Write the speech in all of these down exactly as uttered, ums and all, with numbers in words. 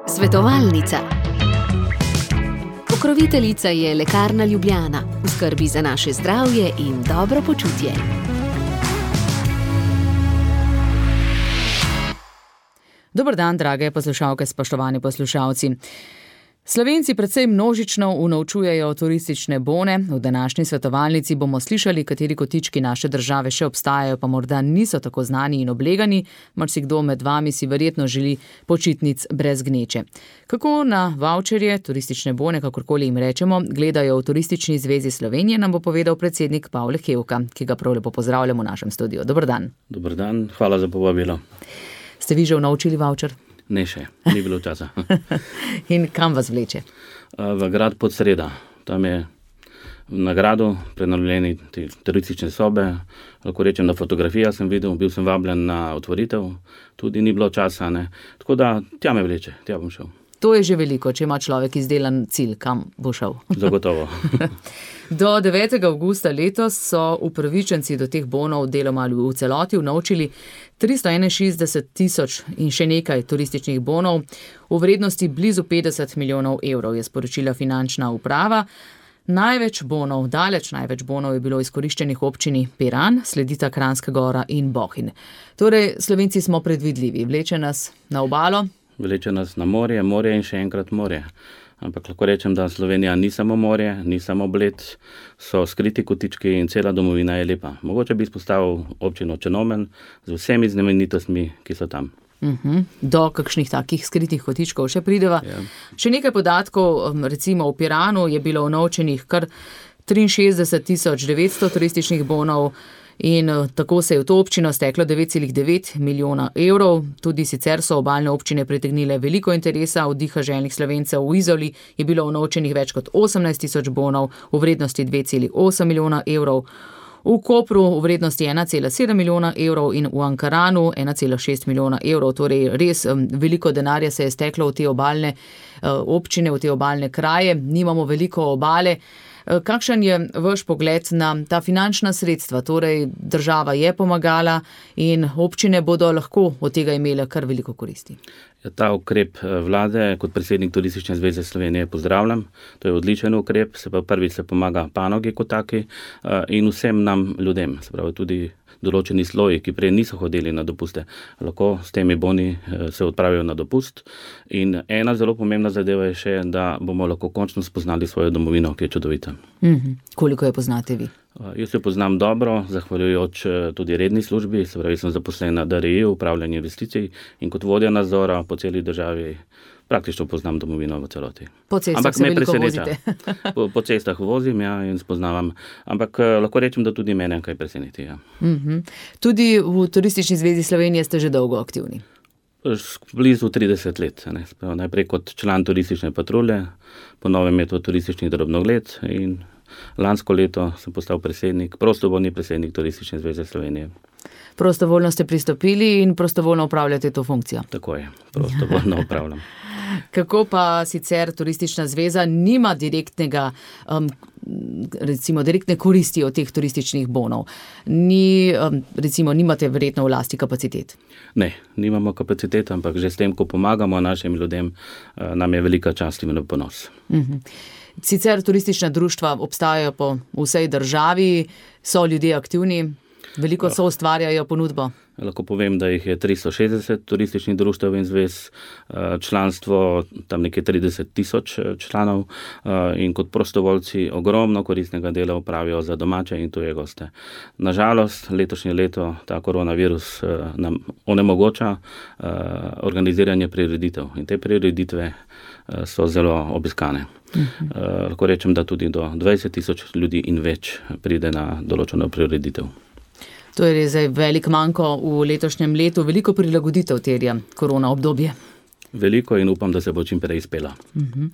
Svetovalnica. Pokroviteljica je Lekarna Ljubljana, v skrbi za naše zdravje in dobro počutje. Dober dan, drage poslušalke, spoštovani poslušalci. Slovenci precej množično unovčujejo turistične bone. V današnji svetovalnici bomo slišali, kateri kotički naše države še obstajajo, pa morda niso tako znani in oblegani. Marsikdo med vami si verjetno želi počitnic brez gneče. Kako na vaučerje, turistične bone, kakorkoli jim rečemo, gledajo v Turistični zvezi Slovenije, nam bo povedal predsednik Pavle Hevka, ki ga prav lepo pozdravljamo v našem studiu. Dober dan. Dober dan, hvala za povabilo. Ste vi že unovčili vaučer? Ne še, ni bilo časa. In kam vas vleče? V grad Podsreda. Tam je na gradu prenovljeni te turistične sobe. Lahko rečem, da fotografija sem videl, bil sem vabljen na otvoritev, tudi ni bilo časa. Ne. Tako da tja me vleče, tja bom šel. To je že veliko, če ima človek izdelan cilj, kam bo šel. Zagotovo. Do devetega avgusta letos so upravičenci do teh bonov deloma ali v celoti unovčili tristo enainšestdeset tisoč in še nekaj turističnih bonov v vrednosti blizu petdeset milijonov evrov, je sporočila finančna uprava. Največ bonov, daleč največ bonov je bilo izkoriščenih v občini Piran, sledita Kranjska Gora in Bohinj. Torej, Slovenci smo predvidljivi, vleče nas na obalo. Vleče nas na morje, morje in še enkrat morje. Ampak lahko rečem, da Slovenija ni samo morje, ni samo Bled, so skriti kotički in cela domovina je lepa. Mogoče bi izpostavil občino Črnomelj z vsemi znamenitostmi, ki so tam. Uh-huh. Do kakšnih takih skritih kotičkov še prideva. Ja. Še nekaj podatkov, recimo v Piranu je bilo unovčenih kar triinšestdeset tisoč devetsto turističnih bonov, in tako se je v to občino steklo devet celih devet milijona evrov. Tudi sicer so obalne občine pritegnile veliko interesa, od diha željnih Slovencev. V Izoli je bilo unovčenih več kot osemnajst tisoč bonov v vrednosti dve celih osem milijona evrov, v Kopru v vrednosti ena celih sedem milijona evrov in v Ankaranu ena celih šest milijona evrov. Torej res veliko denarja se je steklo v te obalne občine, v te obalne kraje. Nimamo veliko obale. Kakšen je vaš pogled na ta finančna sredstva? Torej, država je pomagala in občine bodo lahko od tega imele kar veliko koristi. Ta ukrep vlade kot predsednik Turistične zveze Slovenije pozdravljam. To je odličen ukrep, se pa prvič se pomaga panogi kot taki in vsem nam ljudem, se pravi tudi določeni sloji, ki prej niso hodili na dopuste, lahko s temi boni se odpravijo na dopust. In ena zelo pomembna zadeva je še, da bomo lahko končno spoznali svojo domovino, ki je čudovita. Mm-hmm. Koliko jo poznate vi? Jaz jo poznam dobro, zahvaljujoč tudi redni službi, se pravi, sem zaposlen na D R I, upravljanje investicij, in kot vodja nadzora po celi državi praktično poznam domovino v celoti. Po cestah se veliko vozite. po, po cestah vozim, ja, in spoznavam. Ampak lahko rečem, da tudi mene kaj preseneti. Ja. Mm-hmm. Tudi v Turistični zvezi Slovenije ste že dolgo aktivni. Blizu trideset let. Ne. Najprej kot član turistične patrulje, po novem je to turistični drobnogled in lansko leto sem postal predsednik, prostovoljni predsednik Turistične zveze Slovenije. Prostovoljno ste pristopili in prostovoljno upravljate to funkcijo. Tako je, prostovoljno upravljam. Kako pa sicer Turistična zveza nima direktnega, um, recimo direktne koristi od teh turističnih bonov? Ni, um, recimo, nimate verjetno v lasti kapacitet? Ne, nimamo kapacitet, ampak že s tem, ko pomagamo našim ljudem, uh, nam je velika čast in ponos. Uh-huh. Sicer turistična društva obstajajo po vsej državi, so ljudje aktivni, veliko so ustvarjajo ponudbo. Lahko povem, da jih je tristo šestdeset turističnih društev in zvez, članstvo tam nekje trideset tisoč članov in kot prostovoljci ogromno koristnega dela opravijo za domače in tuje goste. Nažalost, letošnje leto ta koronavirus nam onemogoča organiziranje prireditev in te prireditve so zelo obiskane. Uh-huh. Lahko rečem, da tudi do dvajset tisoč ljudi in več pride na določeno prireditev. To je res velik manko v letošnjem letu, veliko prilagoditev terja korona obdobje. Veliko in upam, da se bo čim prej izpela. Uh-huh.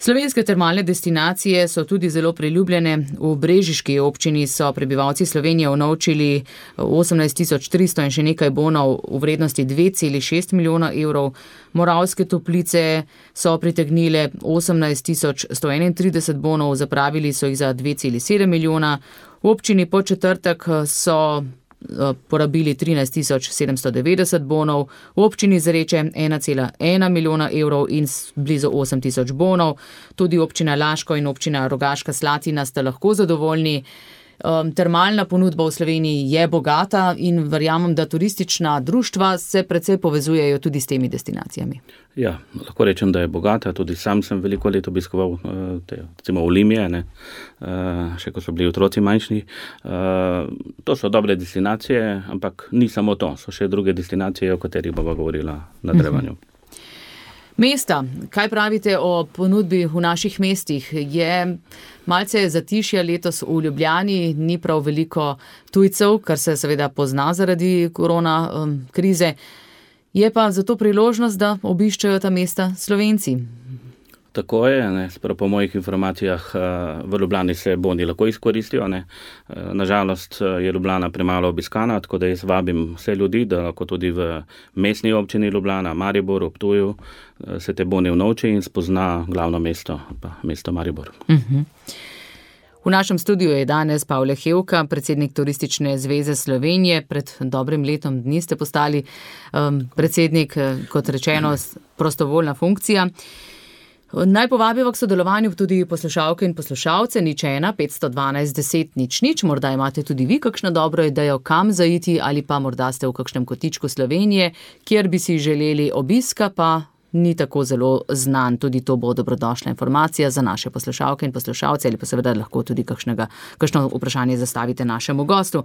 Slovenske termalne destinacije so tudi zelo priljubljene. V brežiški občini so prebivalci Slovenije unovčili osemnajst tisoč tristo in še nekaj bonov v vrednosti dve celih šest milijona evrov. Moravske Toplice so pritegnile osemnajst tisoč sto enaintrideset bonov, zapravili so jih za dve celih sedem milijona. V občini Podčetrtek so porabili trinajst tisoč sedemsto devetdeset bonov, v občini Zreče ena cela ena milijona evrov in blizu osem tisoč bonov. Tudi občina Laško in občina Rogaška Slatina sta lahko zadovoljni. Termalna ponudba v Sloveniji je bogata in verjamem, da turistična društva se precej povezujejo tudi s temi destinacijami. Ja, lahko rečem, da je bogata. Tudi sam sem veliko let obiskoval te, recimo Olimije, ne, še ko so bili otroci manjšni. To so dobre destinacije, ampak ni samo to. So še druge destinacije, o katerih bova govorila na nadaljevanju. Mesta, kaj pravite o ponudbi v naših mestih? Je malce zatišja letos v Ljubljani, ni prav veliko tujcev, kar se seveda pozna zaradi korona um, krize. Je pa zato priložnost, da obiščajo ta mesta Slovenci. Tako je, ne, sprav po mojih informacijah v Ljubljani se boni lahko izkoristijo. Ne. Nažalost je Ljubljana premalo obiskana, tako da jaz vabim vse ljudi, da lahko tudi v mestni občini Ljubljana, Mariboru, Ptuju se te boni vnovči in spozna glavno mesto, pa mesto Maribor. Uh-huh. V našem studiu je danes Pavle Hevka, predsednik Turistične zveze Slovenije. Pred dobrim letom dni ste postali um, predsednik, kot rečeno, prostovoljna funkcija. Naj povabiva k sodelovanju tudi poslušalke in poslušalce, nič ena, petsto dvanajst, deset, nič nič. Morda imate tudi vi kakšno dobro idejo, kam zaiti, ali pa morda ste v kakšnem kotičku Slovenije, kjer bi si želeli obiska, pa ni tako zelo znan. Tudi to bo dobrodošla informacija za naše poslušalke in poslušalce, ali pa seveda lahko tudi kakšnega, kakšno vprašanje zastavite našemu gostu.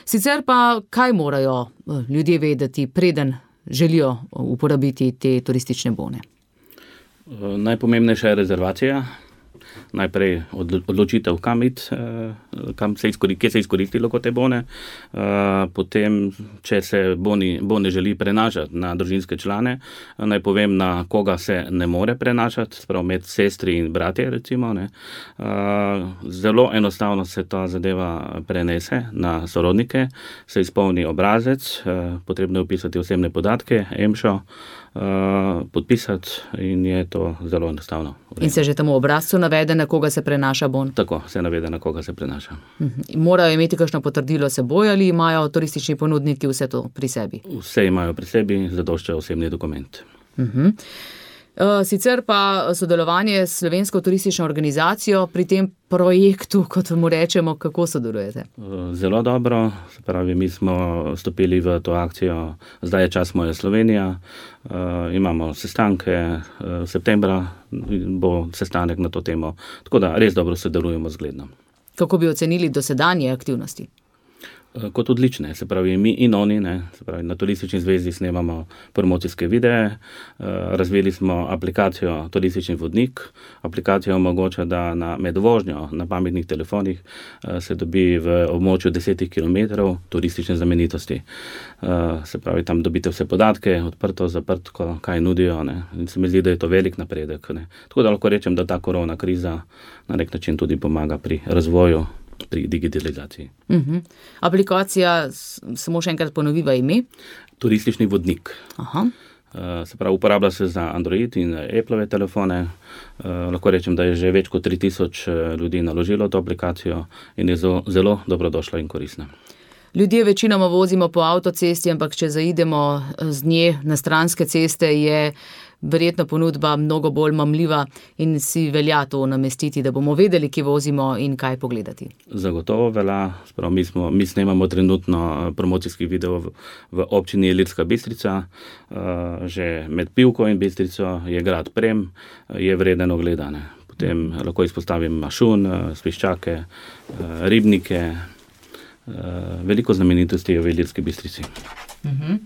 Sicer pa, kaj morajo ljudje vedeti, preden želijo uporabiti te turistične bone? Najpomembnejša je rezervacija, najprej odločitev, kam iti, kam se izkoristi, kje se izkoristilo kot te bone, potem, če se boni, bone želi prenašati na družinske člane, naj povem, na koga se ne more prenašati, sprav med sestri in bratje, recimo, ne. Zelo enostavno se ta zadeva prenese na sorodnike, se izpolni obrazec, potrebno je vpisati osebne podatke, emšo, Uh, podpisati in je to zelo enostavno. In se že temu obrazcu navede, na koga se prenaša bon? Tako, se navede, na koga se prenaša. Uh-huh. Morajo imeti kakšno potrdilo seboj ali imajo turistični ponudniki vse to pri sebi? Vse imajo pri sebi, zadošča osebni dokument. Uh-huh. Sicer pa sodelovanje s Slovensko turistično organizacijo pri tem projektu, kot mu rečemo, kako sodelujete? Zelo dobro, se pravi, mi smo stopili v to akcijo Zdaj je čas moja Slovenija, imamo sestanke, v septembra bo sestanek na to temo, tako da res dobro sodelujemo z Glednom. Kako bi ocenili dosedanje aktivnosti? Kot odlične, se pravi mi in oni, ne, se pravi na Turistični zvezi snemamo promocijske videe, razvili smo aplikacijo Turistični vodnik, aplikacija omogoča, da na med vožnjo na pametnih telefonih se dobi v območju desetih kilometrov turistične znamenitosti. Se pravi, tam dobite vse podatke, odprto, zaprtko, kaj nudijo, ne, in se mi zdi, da je to velik napredek, ne. Tako da lahko rečem, da ta korona kriza na nek način tudi pomaga pri razvoju, pri digitalizaciji. Uh-huh. Aplikacija, samo še enkrat ponoviva ime? Turistični vodnik. Aha. Uh, se pravi, uporablja se za Android in Appleove telefone. Uh, lahko rečem, da je že več kot tri tisoč ljudi naložilo to aplikacijo in je zelo, zelo dobrodošla in koristna. Ljudje večinoma vozimo po avtocesti, ampak če zaidemo z nje na stranske ceste, je verjetno ponudba mnogo bolj mamljiva in si velja to namestiti, da bomo vedeli, kje vozimo in kaj pogledati. Zagotovo velja. Sprav, mi, smo, mi snemamo trenutno promocijski video v, v občini Ilirska Bistrica. Uh, že med Pivko in Bistrico je grad Prem, je vreden ogledane. Potem lahko izpostavim Mašun, Sviščake, uh, Ribnike. Uh, veliko znamenitosti je v Ilirski Bistrici. Uh-huh.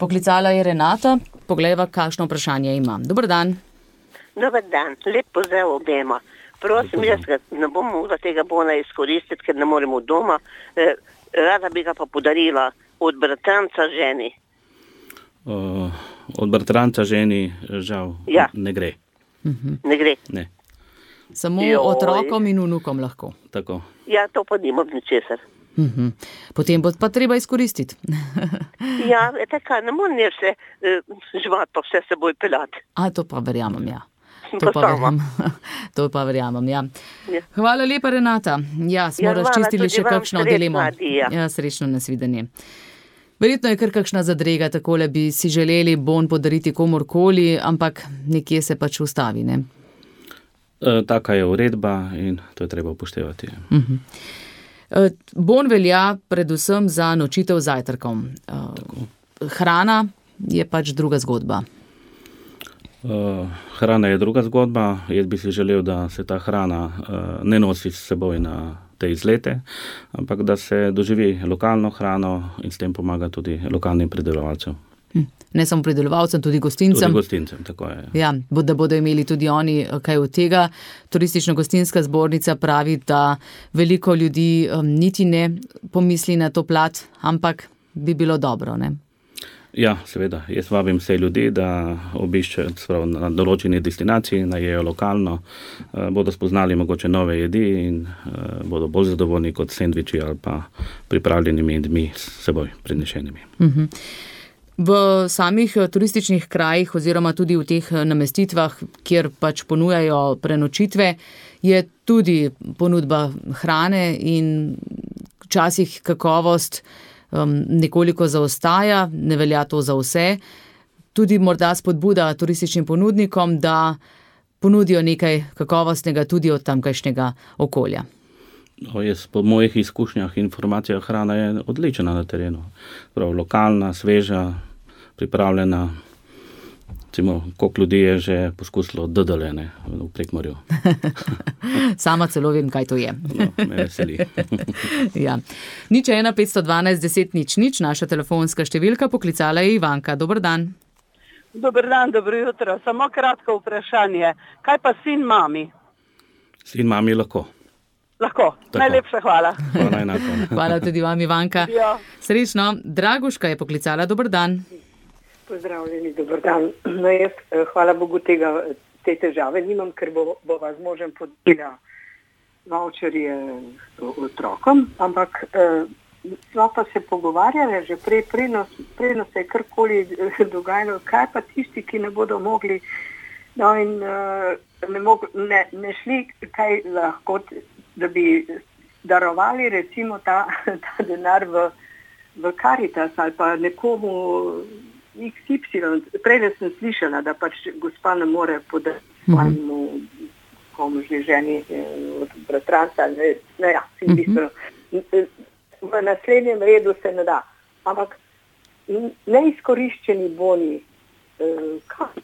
Poklicala je Renata, poglejva, kakšno vprašanje ima. Dobar dan. Dobar dan, lep pozdrav obema. Prosim, jaz ne bom mogla tega bona izkoristiti, ker ne moremo doma. Eh, rada bi ga pa podarila od bratranca ženi. Uh, od bratranca ženi žal ja. ne gre. Uh-huh. Ne gre? Ne. Samo Joj. Otrokom in vnukom lahko. Tako. Ja, to pa nimam ničesar. Uh-huh. Potem bo pa treba izkoristiti. Ja, tako, ne morem se uh, živati pa vse seboj pelati. A to pa verjamem, ja. sem To pa pa sama. verjamem, to pa verjamem, ja. Ja. Hvala lepa, Renata. Ja, smo Ja, hvala razčistili tudi še vam, kakšno srečno, dilemo. Adija. Ja, srečno nasvidenje. Verjetno je kar kakšna zadrega, takole bi si želeli bon podariti komorkoli, ampak nekje se pač ustavi, ne? E, taka je uredba in to je treba upoštevati. Uh-huh. E, bon velja predvsem za nočitev z zajtrkom. E, hrana je pač druga zgodba. Uh, hrana je druga zgodba. Jaz bi si želel, da se ta hrana uh, ne nosi s seboj na te izlete, ampak da se doživi lokalno hrano in s tem pomaga tudi lokalnim pridelovalcem. Hm. Ne samo pridelovalcem, tudi gostincem. Tudi gostincem, tako je. Ja, da bodo imeli tudi oni kaj od tega. Turistično-gostinska zbornica pravi, da veliko ljudi um, niti ne pomisli na to plat, ampak bi bilo dobro, ne? Ja, seveda. Jaz vabim vse ljudi, da obiščejo sprav na določeni destinaciji, najejo lokalno, eh, bodo spoznali mogoče nove jedi in eh, bodo bolj zadovoljni kot sendviči ali pa pripravljenimi jedmi s seboj prinešenimi. Uh-huh. V samih turističnih krajih oziroma tudi v teh namestitvah, kjer pač ponujajo prenočitve, je tudi ponudba hrane in včasih kakovost Um, nekoliko zaostaja, ne velja to za vse. Tudi morda spodbuda turističnim ponudnikom, da ponudijo nekaj kakovostnega tudi od tamkajšnjega okolja. No, jaz, po mojih izkušnjah, informacija hrana je odlična na terenu. Prav, lokalna, sveža, pripravljena. Recimo, koliko ljudi je že poskusilo dodolene v Prekmorju. Sama celo vem, kaj to je. No, me veseli. Ja. Nič ena petsto dvanajst deset nič nič, naša telefonska številka, poklicala je Ivanka. Dober dan. Dober dan, dobro jutro. Samo kratko vprašanje. Kaj pa sin mami? Sin mami lahko. Lahko. Tako. Najlepša hvala. Hvala enako. Hvala tudi vam, Ivanka. Ja. Srečno. Draguška je poklicala. Dober dan. Pozdravljeni, dober dan. No, jaz, hvala Bogu, tega, te težave nimam, ker bo, bo vas možem podelila voucherje otrokom, ampak eh, smo pa se pogovarjali že prej, preno se je karkoli dogajalo, kaj pa tisti, ki ne bodo mogli, no in eh, ne, mog, ne, ne šli, kaj lahko, da bi darovali recimo ta, ta denar v, v Karitas ali pa nekomu iks ipsilon. Prej sem slišala, da pač gospa ne more podati svojemu komu že ženi od bratranca. Ne, ne, ja, v naslednjem redu se ne da. Ampak neizkoriščeni boni, kam,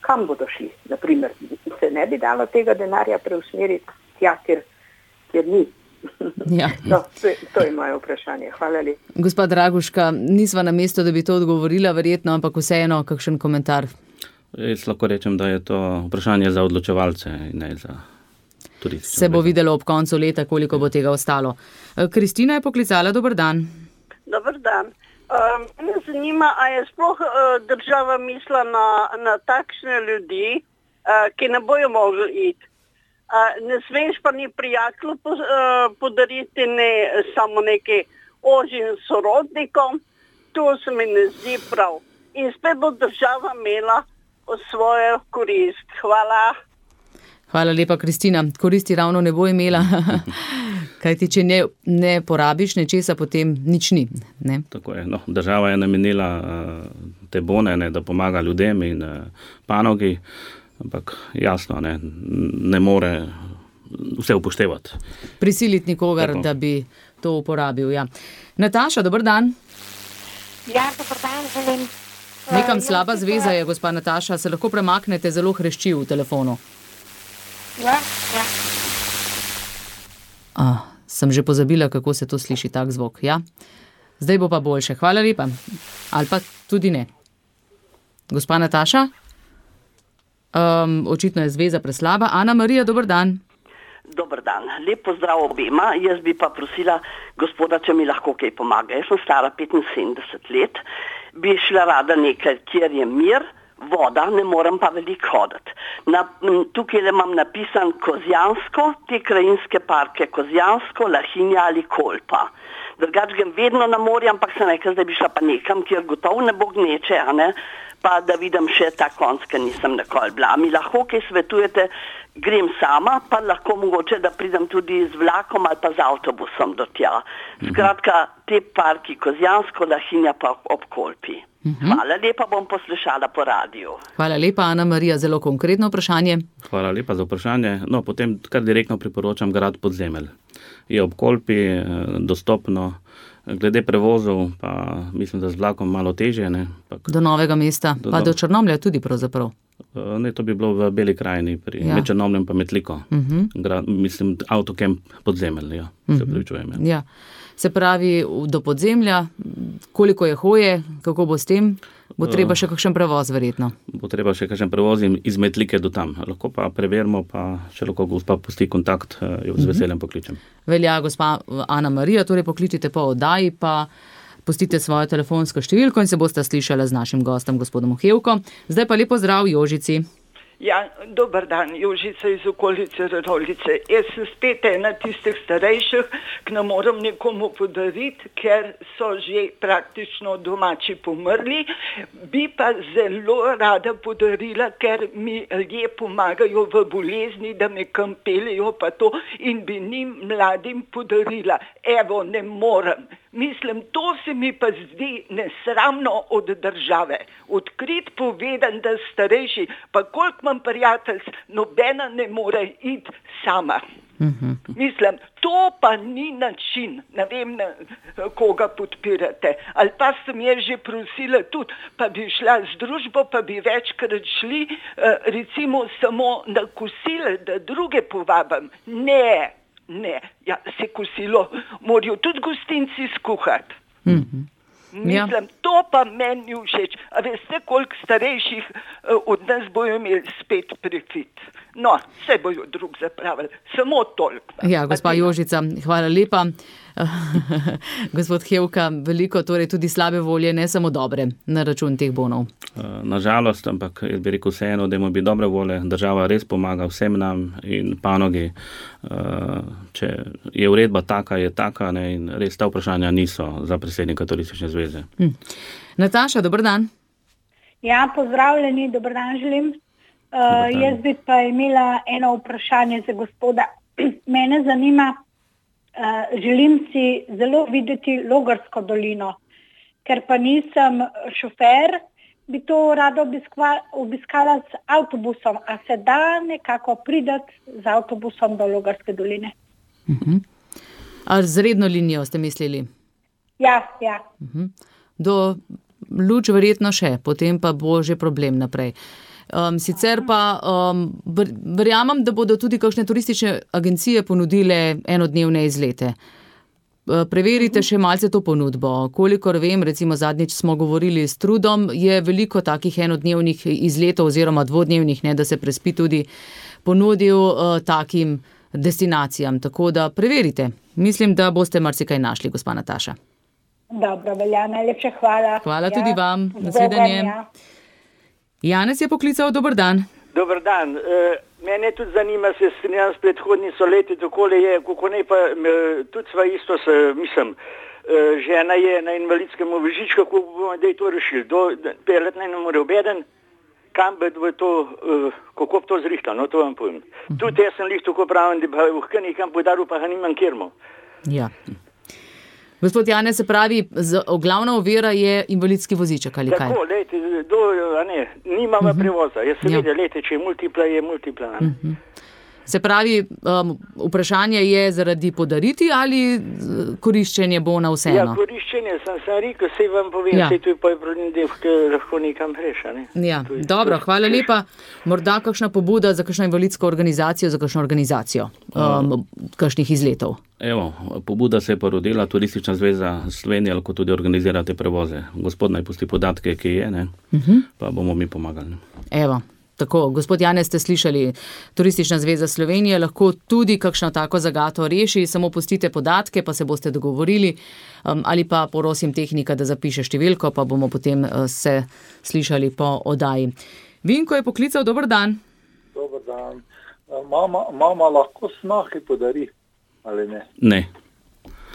kam bodo šli? Naprimer, se ne bi dalo tega denarja preusmeriti tja, kjer, kjer ni. Ja. No, to, to je moje vprašanje. Hvala lepa. Gospa Draguška, nisva na mesto, da bi to odgovorila, verjetno, ampak vseeno, kakšen komentar? Jaz lahko rečem, da je to vprašanje za odločevalce in ne za turistične. Se bo videlo ob koncu leta, koliko bo tega ostalo. Kristina je poklicala. Dober dan. Dober dan. Um, me zanima, a je sploh uh, država mislila na, na takšne ljudi, uh, ki ne bojo mogli iti. Uh, ne smeš pa ni prijatelju po, uh, podariti ne samo neki ožjim sorodnikom, to se mi ne zdi prav. In spet bo država imela svojo korist. Hvala. Hvala lepa, Kristina. Koristi ravno ne bo imela, kajti če ne, ne porabiš nečesa, potem nič ni. Ne? Tako je. No, država je namenila uh, te bone, ne, da pomaga ljudem in uh, panogi. Ampak jasno, ne, ne more vse upoštevati. Prisiliti nikogar, tako, da bi to uporabil. Ja. Nataša, dober dan. Ja, dober dan, želim. Nekam uh, slaba ja, zveza je, gospa Nataša, se lahko premaknete, zelo hrešči v telefonu. Ja, ja. Ah, sem že pozabila, kako se to sliši, tak zvok. Ja? Zdaj bo pa boljše. Hvala lepa. Ali pa tudi ne. Gospa Nataša? Um, očitno je zveza preslaba. Ana Marija, dober dan. Dober dan. Lep pozdrav obema. Jaz bi pa prosila gospoda, če mi lahko kaj pomaga. Jaz sem stara petinsedemdeset let. Bi šla rada nekaj, kjer je mir, voda, ne morem pa veliko hoditi. Na, tukaj le imam napisan Kozjansko, te krajinske parke Kozjansko, Lahinja ali Kolpa. Drugač grem vedno na morje, ampak sem rekla, da bi šla pa nekam, kjer gotovo ne bo gneče, a ne? pa da vidim še ta konc, ker nisem nikoli bila. Mi lahko kaj svetujete, grem sama, pa lahko mogoče, da pridem tudi z vlakom ali pa z avtobusom do tja. Skratka, te parki Kozjansko, Lahinja pa ob Kolpi. Hvala lepa, bom poslušala po radiju. Hvala lepa, Ana Marija, zelo konkretno vprašanje. Hvala lepa za vprašanje. No, potem kar direktno priporočam grad Podzemelj. Je ob Kolpi, dostopno. Glede prevozov, pa mislim, da z vlakom malo težje. Ne? Pak, do Novega mesta, do, pa do Črnomlja tudi pravzaprav. Ne, to bi bilo v Beli krajini, pri ja. med Črnomljem pa Metliko. Uh-huh. Grad, mislim, avtokamp Podzemelj, ja, uh-huh. se pravičujem. Ja. Ja. Se pravi, do Podzemlja, koliko je hoje, kako bo s tem? Bo treba še kakšen prevoz, verjetno? Bo treba še kakšen prevoz iz Metlike do tam. Lahko pa preverimo, pa če lahko gospa pusti kontakt, jo z veseljem pokličem. Velja, gospa Ana Marija, torej pokličite po oddaji, pa pustite svojo telefonsko številko in se boste slišali z našim gostom, gospodom Hevko. Zdaj pa lepo zdrav Jožici. Ja, dober dan, Jožica iz okolice Radovljice. Jaz sem spet ena tistih starejših, ki ne moram nekomu podariti, ker so že praktično domači pomrli. Bi pa zelo rada podarila, ker mi ljudje pomagajo v bolezni, da me kam peljejo pa to in bi njim mladim podarila. Evo, ne morem. Mislim, to se mi pa zdi nesramno od države. Odkrit povedan, da starejši, pa koliko imam prijatelj, nobena ne more iti sama. Uh-huh. Mislim, to pa ni način, ne vem, na koga podpirate. Ali pa sem je že prosila tudi, pa bi šla z družbo, pa bi večkrat šli, recimo samo na kosile, da druge povabim. Ne. Ne, ja, se kosilo morajo tudi gostinci skuhati. Mm-hmm. Mislim, ja. To pa meni všeč. A veste, koliko starejših uh, od nas bojo imeli spet prefit. No, vse bojo drug zapravili. Samo toliko. Ja, gospa Jožica, hvala lepa. Gospod Hevka, veliko torej tudi slabe volje, ne samo dobre, na račun teh bonov. Nažalost, ampak jaz bi rekel vseeno, da ima biti dobre volje. Država res pomaga vsem nam in panogi. Če je uredba taka, je taka, ne, in res ta vprašanja niso za predsednika Turistične zveze. Hm. Nataša, dober dan. Ja, pozdravljeni, dober dan želim. Uh, jaz bi pa imela eno vprašanje za gospoda. Mene zanima, uh, želim si zelo videti Logarsko dolino, ker pa nisem šofer, bi to rada obiskala, obiskala z avtobusom. A se da nekako prideti z avtobusom do Logarske doline? Uh-huh. A z redno linijo ste mislili? Ja, ja. Uh-huh. Do Luč verjetno še, potem pa bo že problem naprej. Um, sicer pa um, verjamem, da bodo tudi kakšne turistične agencije ponudile enodnevne izlete. Uh, preverite še malce to ponudbo. Kolikor vem, recimo zadnjič smo govorili s Trudom, je veliko takih enodnevnih izletov oziroma dvodnevnih, ne, da se prespi tudi ponudil uh, takim destinacijam. Tako da preverite. Mislim, da boste marsikaj našli, gospa Nataša. Dobro, velja, najlepša hvala. Hvala ja, tudi vam. Nasvidenje. Janez je poklical, dober dan. Dober dan. E, mene tudi zanima, se strinjam s predhodnico leti, takole je, kako ne pa, e, tudi sva isto se, mislim, e, žena je na invalidskem vozičku, kako bomo da je to rešili. Do pelet ne more obeden, kam bi to, e, kako bi to zrihtalo, no to vam povem. Uh-huh. Tudi jaz sem lih tako pravim, da bi v nekam podaril, pa ga nimam kjermo. Ja. Gospod Janez, se pravi, z, glavna ovira je invalidski voziček ali kaj? Tako, lejte, do, a ne, nimamo uh-huh. prevoza. Jaz se ja. vidim, lejte, če je multipla, je multipla. Uh-huh. Se pravi, um, vprašanje je zaradi podariti ali koriščenje bona vseeno? Ja, koriščenje, sem, sem rekel, se vam povem, ja. se tu je pa je problem, da lahko nekam preša. Ne? Ja, je, dobro, je, hvala lepa. Morda kakšna pobuda za kakšno invalidsko organizacijo, za kakšno organizacijo um, kakšnih izletov? Evo, pobuda se je porodila, Turistična zveza Slovenije, lahko tudi organizira te prevoze. Gospod naj pusti podatke, ki je, ne? Uh-huh. Pa bomo mi pomagali. Evo. Tako, gospod Janez, ste slišali, Turistična zveza Slovenije lahko tudi kakšno tako zagato reši, samo pustite podatke, pa se boste dogovorili, um, ali pa prosim tehnika, da zapiše številko, pa bomo potem uh, se slišali po oddaji. Vinko je poklical, dober dan. Dober dan. Mama, mama lahko snahi podari, ali ne? Ne.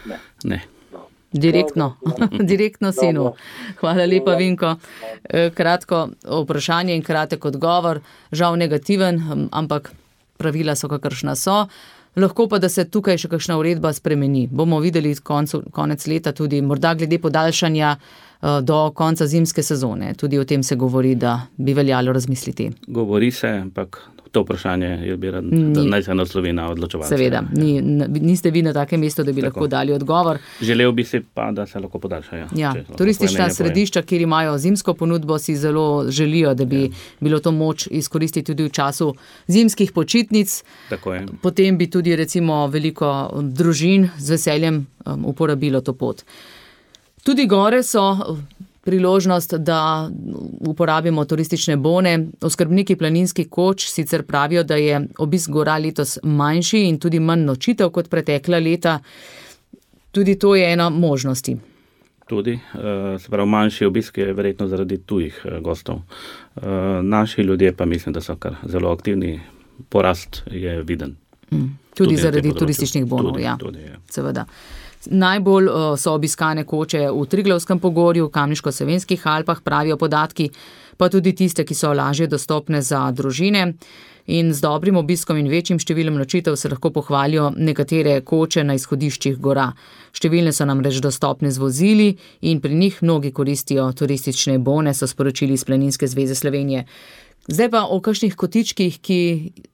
Ne. Ne. Direktno, direktno sinu. Hvala lepa, Vinko. Kratko vprašanje in kratek odgovor. Žal negativen, ampak pravila so, kakršna so. Lahko pa, da se tukaj še kakšna uredba spremeni. Bomo videli koncu, konec leta tudi morda glede podaljšanja do konca zimske sezone. Tudi o tem se govori, da bi veljalo razmisliti. Govori se, ampak to vprašanje je bi rad, da naj se naslovi na odločevalce. Seveda, ni, niste vi na takem mestu, da bi Tako. lahko dali odgovor. Želel bi si pa, da se lahko podaljšajo. Ja, turistična središča, kjer imajo zimsko ponudbo, si zelo želijo, da bi ja. bilo to moč izkoristiti tudi v času zimskih počitnic. Tako je. Potem bi tudi recimo veliko družin z veseljem um, uporabilo to pot. Tudi gore so priložnost, da uporabimo turistične bone. Oskrbniki planinskih koč sicer pravijo, da je obisk gora letos manjši in tudi manj nočitev kot pretekla leta. Tudi to je ena možnosti. Tudi, se pravi, manjši obisk je verjetno zaradi tujih gostov. Naši ljudje pa mislim, da so kar zelo aktivni. Porast je viden. Mm. Tudi, tudi zaradi turističnih bonov, tudi, ja. Tudi, ja. Seveda. Najbolj so obiskane koče v Triglavskem pogorju, v Kamniško-Savinjskih Alpah, pravijo podatki, pa tudi tiste, ki so lažje dostopne za družine. In z dobrim obiskom in večjim številom nočitev se lahko pohvalijo nekatere koče na izhodiščih gora. Številne so namreč dostopne z vozili in pri njih mnogi koristijo turistične bone, so sporočili iz Planinske zveze Slovenije. Zdaj pa o kakšnih kotičkih, ki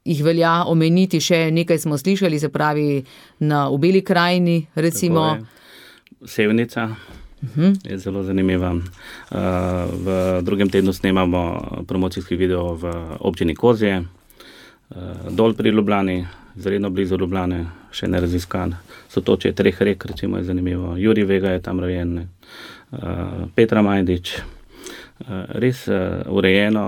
jih velja omeniti, še nekaj smo slišali, se pravi na v Beli krajini, recimo. Sevnica uh-huh. je zelo zanimiva. V drugem tednu snemamo promocijski video v občini Kozje, dol pri Ljubljani, zredno blizu Ljubljane, še neraziskan. Sotočje treh rek, recimo, je zanimivo. Jurij Vega je tam rojen, Petra Majdič. Res urejeno,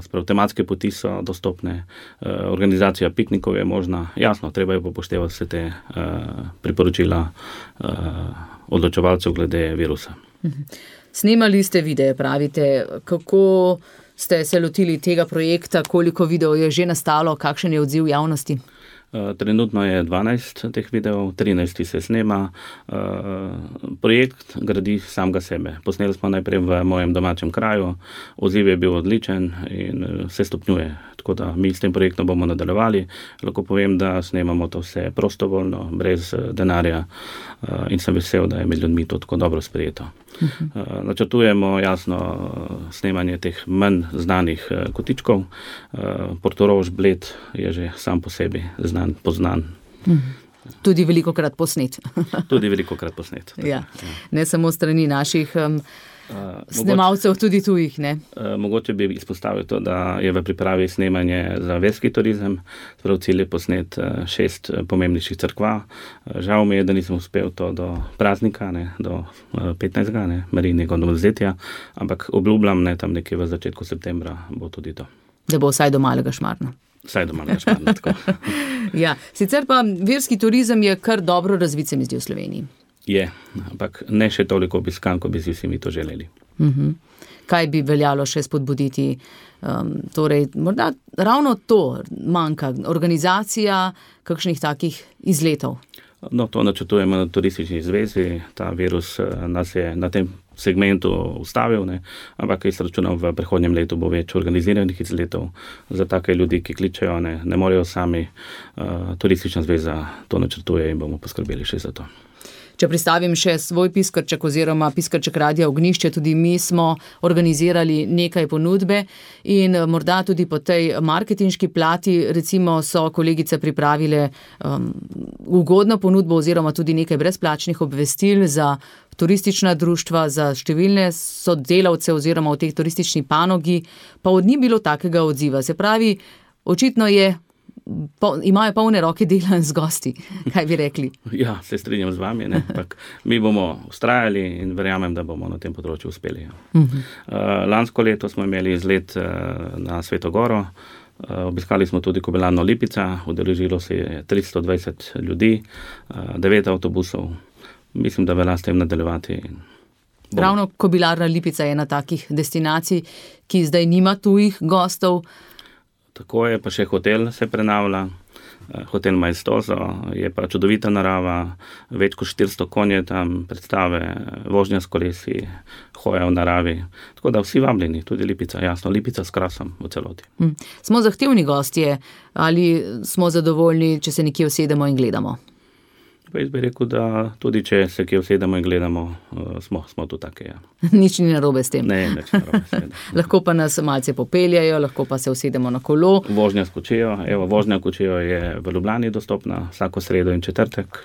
sprav tematske poti so dostopne, organizacija piknikov je možna. Jasno, treba je upoštevati vse te priporočila odločevalcev glede virusa. Snemali ste videe, pravite, kako ste se lotili tega projekta, koliko videov je že nastalo, kakšen je odziv javnosti? Trenutno je dvanajst teh videov, trinajst se snema. Projekt gradi samega sebe. Posneli smo najprej v mojem domačem kraju, odziv je bil odličen in se stopnjuje. Tako da mi s tem projektom bomo nadaljevali. Lahko povem, da snemamo to vse prostovoljno, brez denarja in sem vesel, da je med ljudmi to tako dobro sprejeto. Uh-huh. Načrtujemo jasno snemanje teh manj znanih kotičkov. Portorož, Bled je že sam po sebi znan, poznan. Uh-huh. Tudi velikokrat posnet. Tudi velikokrat posnet. Ja. Ne samo strani naših um, Uh, snemalcev, mogoče, tudi tujih, ne? Uh, mogoče bi izpostavil to, da je v pripravi snemanje za verski turizem, prav cilj je posnet uh, šest pomembnejših cerkva. Uh, žal mi je, da nisem uspel to do praznika, ne, do uh, petnajstega, ne, Marijinega novozletja, ampak obljubljam, ne, tam nekje v začetku septembra bo tudi to. Da bo vsaj do Malega Šmarna. Vsaj do Malega Šmarna, tako. Ja, sicer pa verski turizem je kar dobro razvit, se mi zdi, v Sloveniji. Je, ampak ne še toliko obiskan, ko bi si vsi mi to želeli. Uh-huh. Kaj bi veljalo še spodbuditi? Um, torej, morda ravno to manjka, organizacija kakšnih takih izletov? No, to načrtujemo na turistični zvezi. Ta virus nas je na tem segmentu ustavil, ne? Ampak jaz računam, v prihodnjem letu bo več organiziranih izletov za take ljudi, ki kličejo, ne, ne morejo sami. Uh, turistična zveza to načrtuje in bomo poskrbeli še za to. Če pristavim še svoj piskrček oziroma piskrček Radia Ognišče, tudi mi smo organizirali nekaj ponudbe in morda tudi po tej marketinški plati, recimo so kolegice pripravile um, ugodno ponudbo oziroma tudi nekaj brezplačnih obvestil za turistična društva, za številne sodelavce oziroma v teh turistični panogi, pa od njih bilo takega odziva. Se pravi, očitno je Po, imajo polne roke dela z gosti, kaj bi rekli? Ja, se strinjam z vami, ne? Tak, mi bomo ustrajali in verjamem, da bomo na tem področju uspeli. Ja. Uh-huh. Uh, lansko leto smo imeli izlet uh, na Sveto Goro, uh, obiskali smo tudi Kobilarno Lipica, udeležilo se je tristo dvajset ljudi, uh, devet avtobusov. Mislim, da velja s tem nadaljevati. Bomo. Ravno Kobilarna Lipica je ena takih destinacij, ki zdaj nima tujih gostov. Tako je, pa še hotel se prenavlja. hotel Maestoso, je pa čudovita narava, več kot štiristo konje tam, predstave, vožnja s kolesi, hoja v naravi. Tako da vsi vabljeni, tudi Lipica, jasno, Lipica s krasom v celoti. Hm. Smo zahtevni gostje ali smo zadovoljni, če se nekje usedemo in gledamo? Pa jaz bi rekel, da tudi če se kje usedemo in gledamo, smo, smo tu take, ja. Nič ni narobe s tem. Ne, nič narobe s tem. Lahko pa nas malce popeljajo, lahko pa se usedemo na kolo. Vožnja s kočijo, evo, vožnja kočijo je v Ljubljani dostopna, vsako sredo in četrtek,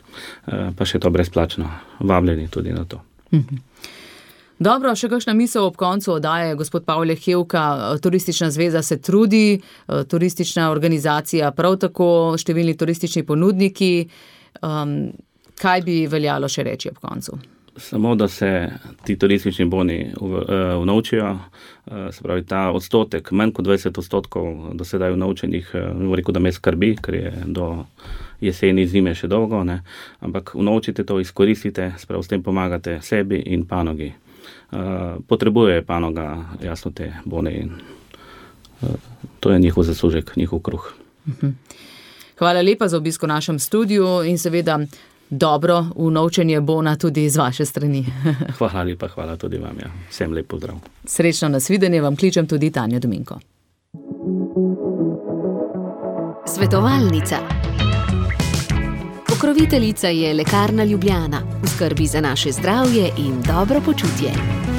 pa še to brezplačno. Vabljeni tudi na to. Mhm. Dobro, še kakšna misel ob koncu oddaje, gospod Pavle Hevka, Turistična zveza se trudi, turistična organizacija prav tako, številni turistični ponudniki. Um, kaj bi veljalo še reči ob koncu? Samo, da se ti turistični boni unovčijo, se pravi ta odstotek, manj kot dvajset odstotkov do sedaj unovčenih, ne rekel, da me skrbi, ker je do jeseni, zime še dolgo, ne? Ampak unovčite to, izkoristite, se pravi, s tem pomagate sebi in panogi. Potrebuje panoga, jasno, te bone in to je njihov zaslužek, njihov kruh. Mhm. Hvala lepa za obisk v našem studiu in seveda dobro unovčenje bona tudi z vaše strani. Hvala lepa, hvala tudi vam. Ja. Vsem lep pozdrav. Srečno nasvidenje vam kličem tudi Tanja Dominko. Svetovalnica. Pokroviteljica je Lekarna Ljubljana. V skrbi za naše zdravje in dobro počutje.